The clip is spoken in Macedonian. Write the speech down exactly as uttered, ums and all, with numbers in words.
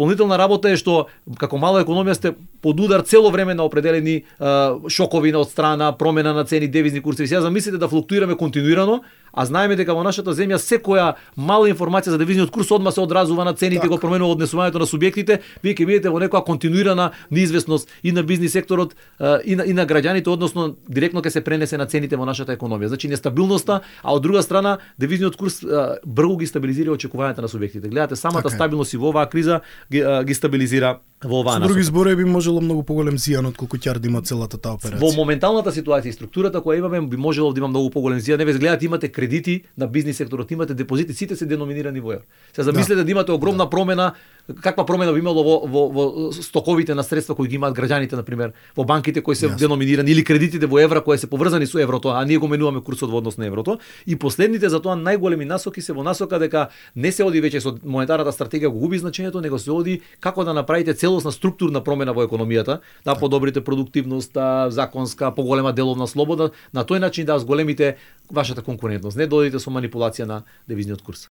дополнителна работа е што како мала економија сте под удар цело време на определени а, шокови од страна, промена на цени, девизни курсеви. Сега замислите да флуктуираме континуирано, а знаеме дека во нашата земја секоја мала информација за девизниот курс одма се одразува на цените, го променува однесувањето на субјектите. Вие ќе видите во некоја континуирана неизвестност и на бизнис секторот и на, и на граѓаните, односно директно ќе се пренесе на цените во нашата економија. Значи нестабилноста, а од друга страна девизниот курс брзо ги стабилизира очекувањата на субјектите. Гледате, самата така стабилност и во оваа криза ги, ги стабилизира во оваа насока. Со други зборови би можело многу поголем зијан од колку ќе да има целата таа операција. Во моменталната ситуација и структурата која имаме би можело да има многу поголем зијан. Не ве гледате, имате кредити на бизнис секторот, имате депозити, сите се деноминирани во евро. Се замислете да, да имате огромна да. промена, каква промена би имало во, во, во стоковите на средства кои ги имаат граѓаните, на пример, во банките кои се yes. деноминирани или кредитите во евра кои се поврзани со еврото, а ние го менуваме курсот во однос на еврото. И последните за тоа најголеми насоки се во насока дека не се оди веќе со монетарната стратегија го губи значењето, него се оди како да направите целосна структурна промена во економијата, да подобрите продуктивноста, законска, поголема деловна слобода, на тој начин да зголемите вашата конкурентност, не додите со манипулација на девизниот курс.